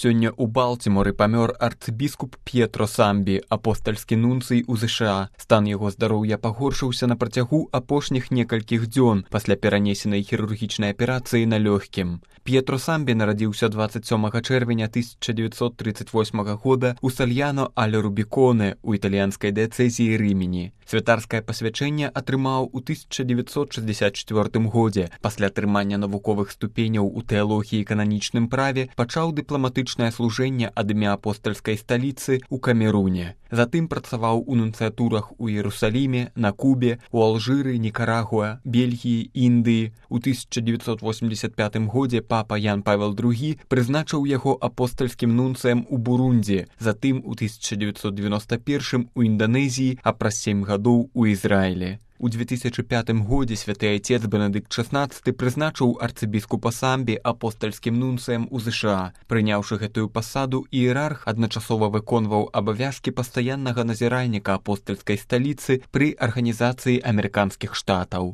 Сёння ў Балтіморы памёр арцыбіскуп П'етро Самбі, апостальскі нунцый у ЗША. Стан яго здароўя пагоршыўся на працягу апошніх некалькіх дзён пасля перанесенай хірургічнай аперацыі на лёгкім. П'етро Самбі нарадзіўся 27 чэрвеня 1938 года ў Сальяно аль Рубіконе ў італьянскай дыяцэзіі Рымені. Святарскае пасвячэнне атрымаў у 1964 годзе. Пасля атрымання навуковых ступеняў у тэалогіі і кананічным праве пачаў дыпламатычнае служэнне ад імя апостальскай сталіцы ў Камеруне. Затым працаваў у нунцыятурах у Іерусаліме, на Кубе, у Алжыры, Нікарагуа, Бельгіі, Індыі. У 1985 годзе папа Ян Павел II прызначыў яго апостальскім нунцыем у Бурунді, затым у 1991 у Інданезіі, а праз 7 гадоў у Ізраілі. У 2005 годзе святы айцец Бенедыкт XVI прызначыў арцыбіскупа Самбі апостальскім нунцыем у ЗША. Прыняўшы гэтую пасаду, іерарх адначасова выконваў абавязкі пастаяннага назіральніка апостальскай сталіцы пры арганізацыі амерыканскіх штатаў.